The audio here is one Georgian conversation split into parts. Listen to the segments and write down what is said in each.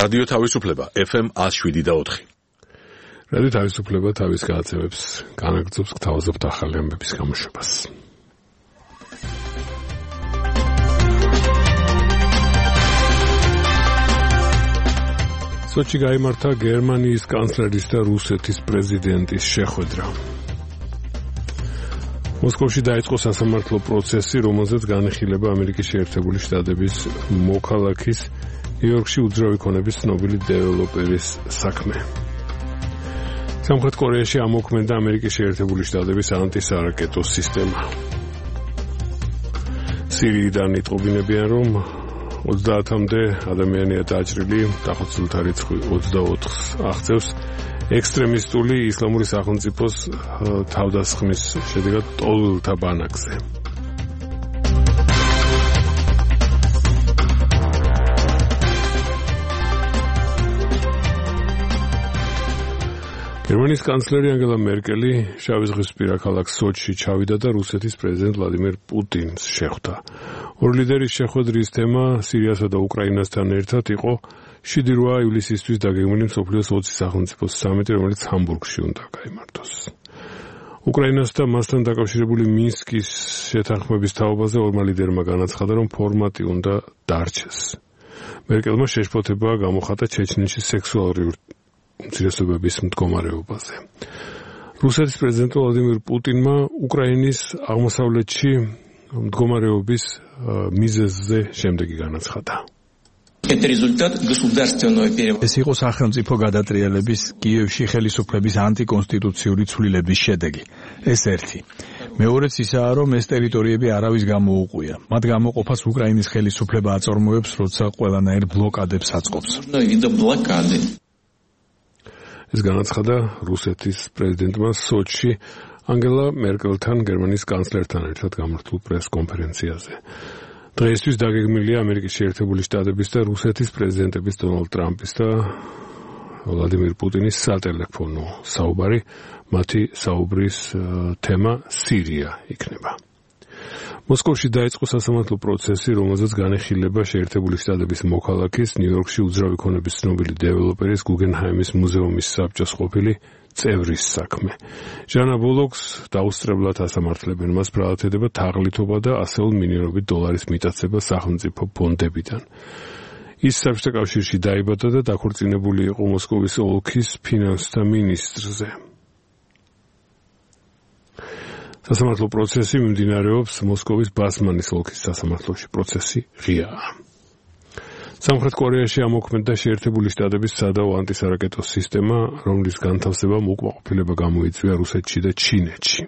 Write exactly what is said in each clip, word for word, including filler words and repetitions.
რადიო თავისუფლება ეფ ემ one oh seven და four. რადიო თავისუფლება თავის განაცემებს განაგრძობს გთავაზობთ ახალი ამბების გამოშვებას. სოჩი გაიმართა გერმანიის კანცლერის და რუსეთის პრეზიდენტის შეხვედრა. მოსკოვში დაიწყო სასამართლო პროცესი, რომელზეც განიხილება ამერიკის შეერთებული შტატების მოქალაქის ნიუ-იორკში უძრავი ქონების ცნობილი დეველოპერის საქმე. სამხრეთ კორეაში ამოქმედა ამერიკის შეერთებული შტატების ანტისარაკეტო სისტემა. სირიიდან იტყობინებიან, რომ ოცდაათამდე ადამიანია დაჭრილი, დახოცილთა რიცხვი ოცდაოთხს აღწევს. ექსტრემისტული ისლამური სახელმწიფოს თავდასხმის შედეგად ტოლვილთა ბანაკზე. გერმანიის კანცლერი ანგელა მერკელი შავი ზღვისპირა ქალაქ სოჩში ჩავიდა და რუსეთის პრეზიდენტ ვლადიმირ პუტინს შეხვდა. ორი ლიდერის შეხვედრის თემა სირიასა და უკრაინასთან ერთად იყო შვიდი რვა ივლისისთვის დაგეგმილი მსოფლიოს ოცი სახელმწიფოს სამიტი, რომელიც ჰამბურგში უნდა გაიმართოს. უკრაინას და მასთან დაკავშირებული მინსკის შეთანხმების თაობაზე ორმა ლიდერმა განაცხადა, რომ ფორმატი უნდა დარჩეს. მერკელმა შეშფოთება გამოხატა ჩეჩნეთში სექსუალური უმცირესობების მდგომარეობაზე. რუსეთის პრეზიდენტ ვლადიმირ პუტინმა უკრაინის აღმოსავლეთში მდგომარეობის მიზეზზე შემდეგი განაცხადა. ეს იყო სახელმწიფო გადატრიალების კიევში ხელისუფლების ანტიკონსტიტუციური ცვლილების შედეგი. ეს ერთი. მეორეც ისაა, რომ ეს ტერიტორიები არავის გამოუყვია. მათ გამოყოფას უკრაინის ხელისუფლება აწარმოებს, როცა ყველანაირ ბლოკადებს აწყობს. ეს განაცხადა რუსეთის პრეზიდენტმა სოჩში ანგელა მერკელთან გერმანიის კანცლერთან ერთად გამართულ პრეს-კონფერენციაზე. დღეისთვის დაგეგმილია ამერიკის შეერთებული შტატების და რუსეთის პრეზიდენტების დონალდ ტრამპის და ვლადიმირ პუტინის სატელეფონო საუბარი. მათი საუბრის თემა სირია იქნება. მოსკოვში დაიწყო სასამართლო პროცესი, რომელზეც განეხილება შეერთებული შტატების მოქალაქის ნიუ-იორკში უძრავი ქონების ცნობილი დეველოპერის გუგენჰაიმის მუზეუმის საბჭოს ყოფილი წევრის საქმე. ჟანა ბოლოქს დაუსწრებლად ასამართლებენ. მას ბრალათედება თაღლითობა და ასეულ მილიონობით დოლარის მიტაცება სახელმწიფო ფონდებიდან. ის საბჭოთა კავშირში დაიბადა და დაქორწინებული იყო მოსკოვის ოლქის ფინანსთა მინისტრზე. სასამართლო პროცესი მიმდინარეობს მოსკოვის ბასმანის ოლქის სასამართლოში. პროცესი ღიაა. სამხრეთ კორეაში ამოქმედა შეერთებული შტატების სადაო ანტისარაკეტო სისტემა, რომლის განთავსებამ უკმაყოფილება გამოიწვია რუსეთში და ჩინეთში.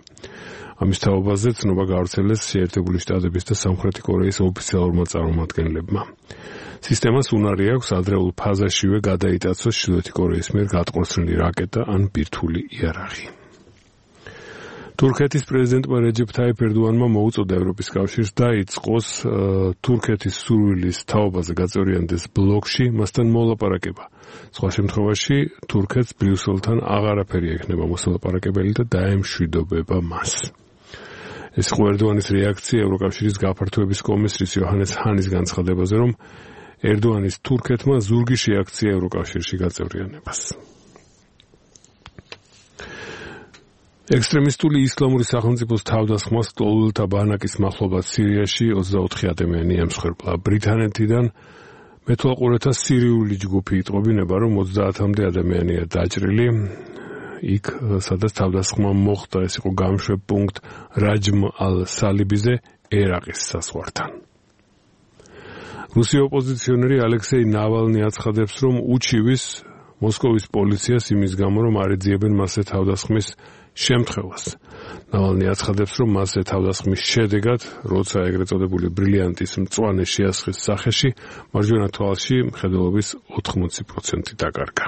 ამის თაობაზე ცნობა გავრცელეს შეერთებული შტატების და სამხრეთი კორეის ოფიციალურმა წარმომადგენლებმა. სისტემას უნარი აქვს ადრეულ ფაზაშივე გადაიტაცოს ჩრდილოეთი კორეის მიერ გატყორცნილი რაკეტა ან ბირთვული იარაღი. თურქეთის პრეზიდენტმა რეჯეფ თაიფ ერდოანმა მოუწოდა ევროპის კავშირს დაიწყოს თურქეთის სურვილის თაობაზე გაწევრიანდეს ბლოკში, მასთან მოლაპარაკება. სხვა შემთხვევაში თურქეთს ბრიუსელთან აღარაფერი ექნება მოსალაპარაკებელი და დაემშვიდობება მას. ეს იყო ერდოანის რეაქცია ევროკავშირის გაფართოების კომისრის იოჰანეს ჰანის განცხადებაზე, რომ ერდოანის თურქეთმა ზურგი შეაქცია ევროკავშირში გაწევრიანებას. ექსტრემისტული ისლამური სახელმწიფოს თავდასხმას ტოლვილთა ბანაკის მახლობლად სირიაში ოცდაოთხი ადამიანი ემსხვერპლა. ბრიტანეთიდან მეთვალყურეთა სირიული ჯგუფი იტყობინება, რომ ოცდაათამდე ადამიანია დაჭრილი. იქ, სადაც თავდასხმა მოხდა, ეს იყო გამშვებ პუნქტ რაჯმ ალ-სალიბიზე ერაყის საზღვართან. რუსი ოპოზიციონერი ალექსეი ნავალნი აცხადებს, რომ უჩივის მოსკოვის პოლიციას იმის გამო, რომ არ ეძიებენ მასზე თავდასხმის შემთხვევას. ნავალნი აცხადებს, რომ მასზე თავდასხმის შედეგად, როცა ეგრეთ წოდებული ბრილიანტის მწვანე შეასხის სახეში, მარჯვენა თვალში მხედველობის ოთხმოცი პროცენტი დაკარგა.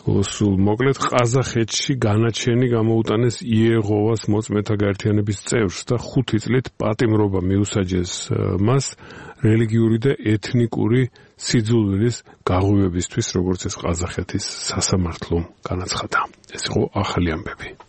სულ მოკლედ, ყაზახეთში განაჩენი გამოუტანეს იეღოვას მოწმეთა გაერთიანების წევრს და ხუთი წლით პატიმრობა მიუსაჯეს მას რელიგიური და ეთნიკური სიძულვილის გაღვივებისთვის, როგორც ეს ყაზახეთის სასამართლომ განაცხადა. ეს იყო ახალი ამბები.